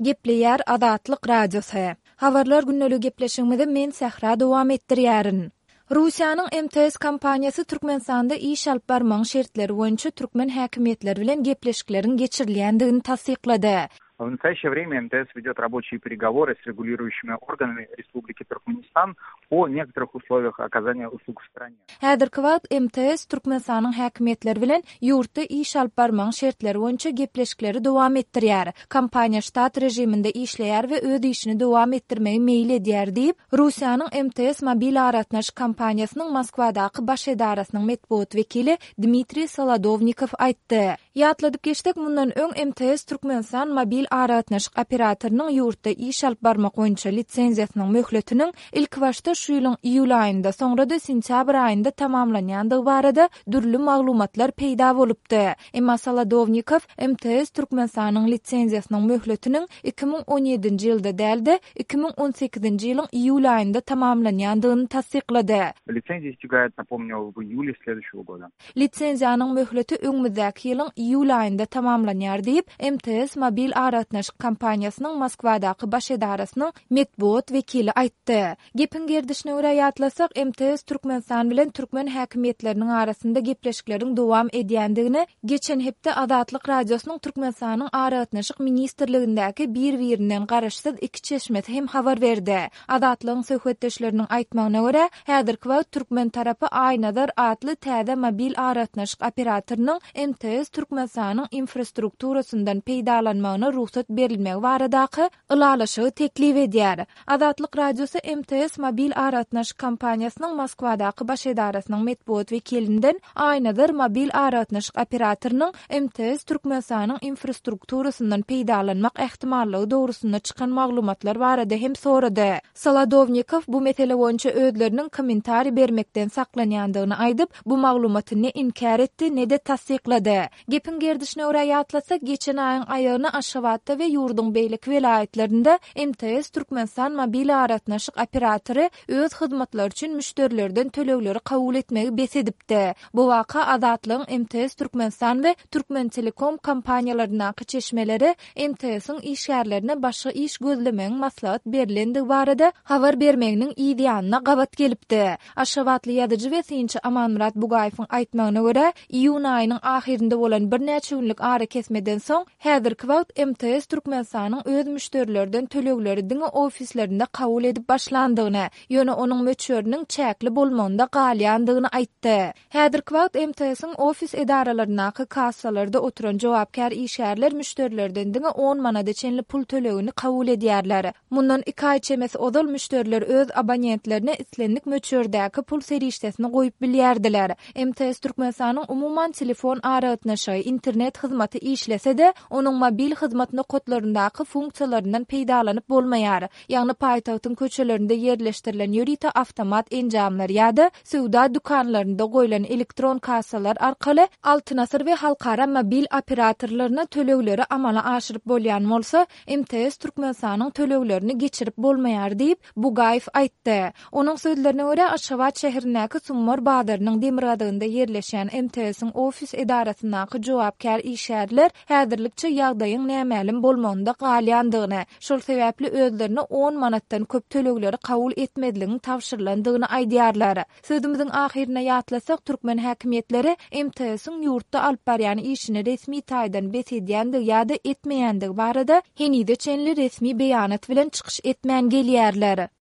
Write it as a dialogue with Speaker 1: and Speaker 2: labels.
Speaker 1: Gepleýär Azatlyk Radiosy. Habarlar gündeligi gepleşigimizi men Sähra dowam etdirýärin. Russiýanyň MTS kompaniýasy Türkmenistanda iş alyp barmagyň şertleri boýunça türkmen häkimiýetleri bilen gepleşikleriň geçirilýändigini tassyklady.
Speaker 2: W nastoýaşeýe wremýa MTS wedýot raboçiýe peregowory s reguliruýuşimi organami Respubliki Türkmenistan o nektoryh uslowiýah okazaniýa uslug w strane.
Speaker 1: Häzirki wagt MTS Türkmenistanyň häkimiýetleri bilen ýurtda iş alyp barmagyň şertleri boýunça gepleşikleri dowam etdirýär. Kompaniýa ştat režiminde işleýär we öz işini dowam etdirmegi meýil edýär diýip, Russiýanyň MTS mobil aragatnaşyk kompaniýasynyň Moskwadaky baş edarasynyň metbugat wekili Dmitriý Solodownikow aýtdy. Ýatladyp geçsek, mundan öň MTS Türkmenistan mobil aragatnaşyk operatorynyň ýurtda iş alyp barmak boýunça lisenziýasynyň möhletiniň ilkibaşda şu ýylyň iýul aýynda, soňra-da sentýabr aýynda tamamlanýandygy barada dürli maglumatlar peýda bolupdy. Emma Solodownikow MTS Türkmenistanyň lisenziýasynyň möhletiniň 2017-nji ýylda däl-de, 2018-nji ýylyň iýul aýynda tamamlanýandygyny tassyklady.
Speaker 2: Lisenziýa istegaýet, napomnýu, w iýule sleduýuşego goda.
Speaker 1: Lisenziýanyň möhleti öňümizdäki ýylyň iýul aýynda tamamlanýar diýip, MTS mobil aragatnaşyk kompaniýasynyň Moskwadaky baş edarasynyň metbugat wekili aýtdy. Gepiň gerdişine görä ýatlasak, MTS Türkmenistan bilen türkmen häkimiýetleriniň arasynda gepleşikleriň dowam edýändigini geçen hepde Azatlyk Radiosynyň Türkmenistanyň Aragatnaşyk ministrligindäki bir-birinden garaşsyz iki çeşmesi hem habar berdi. Azatlygyň söhbetdeşleriniň aýtmagyna görä, häzirki wagt türkmen tarapy Aýnazar atly täze mobil aragatnaşyk operatorynyň MTS Türkmenistanyň infrastrukturasyndan peýdalanmagyna rugsat berilmegi baradaky ylalaşygy teklip edýär. Azatlyk Radiosy MTS mobil aragatnaşyk kompaniýasynyň Moskwadaky baş edarasynyň metbugat wekilinden Aýnazar mobil aragatnaşyk operatorynyň MTS Türkmenistanyň infrastrukturasyndan peýdalanmak ähtimallygy dogrusynda çykan maglumatlar barada hem sorady. Solodownikow bu mesele boýunça özleriniň kommentariý bermekden saklanýandygyny aýdyp, bu maglumaty ne inkär etdi, ne-de tassyklady. Gepiň gerdişine görä ýatlasak, geçen aýyň aýagyna Aşgabatda we ýurduň beýleki welaýatlarynda MTS Türkmenistan mobil aragatnaşyk operatory öz hyzmatlary üçin müşderilerden tölegleri kabul etmegi bes edipdi. Bu waka Azatlygyň MTS Türkmenistan we Türkmentelekom kompaniýalaryndaky çeşmeleri MTS-iň işgärlerine başga iş gözlemegiň maslahat berlendigi barada habar bermeginiň yz ýanyna gabat gelipdi. Aşgabatly ýazyjy we synçy Amanmyrat Bugaýewiň aýtmagyna görä, iýun aýynyň ahyrynda bolan birnäçe günlük arakesmeden soň, häzirki wagt MTS Türkmenistanyň öz müşderilerden tölegleri diňe ofislerinde kabul edip başlandygyny, ýöne onuň möçberiniň çäkli bolmagynda galýandygyny aýtdy. Häzirki wagt MTS-iň ofis edaralaryndaky kassalarda oturan jogapkär işgärler müşderilerden diňe on manada çenli pul tölegini kabul edýärler. Mundan iki aý çemesi ozal müşderiler öz abonentlerine islendik möçberdäki pul serişdesini goýup bilýärdiler. MTS Türkmenistanyň umuman telefon aragatnaşygy, internet hyzmaty işlese-de, onuň mobil hyzmat nokatlaryndaky funksiýalaryndan peýdalanyp bolmaýar. Ýagny paýtagtyň köçelerinde ýerleşdirilen ýörite awtomat enjamlar ýa-da söwda dükanlarynda goýlan elektron kassalar arkaly Altyn Asyr we halkara mobil operatorlaryna tölegleri amala aşyryp bolýan bolsa, MTS Türkmenistanyň töleglerini geçirip bolmaýar diýip, Bugaýew aýtdy. Onuň sözlerine görä, Aşgabat şäherindäki Summar bazarynyň demirgazygynda ýerleşýän MTS-iň ofis edarasyndaky jogapkär işgärler häzirlikçe ýagdaýyň nämälim bolmagynda galýandygyny, şol sebäpli özlerine on manatdan köp tölegleri kabul etmezligiň tabşyrylandygyny aýdýarlar. Sözümiziň ahyrynda ýatlasak, türkmen häkimiýetleri MTS-iň ýurtda alyp barýan işini resmi taýdan bes edýändigi ýa-da etmeýändigi barada henize çenli resmi beýanat bilen çykyş etmän gelýärler.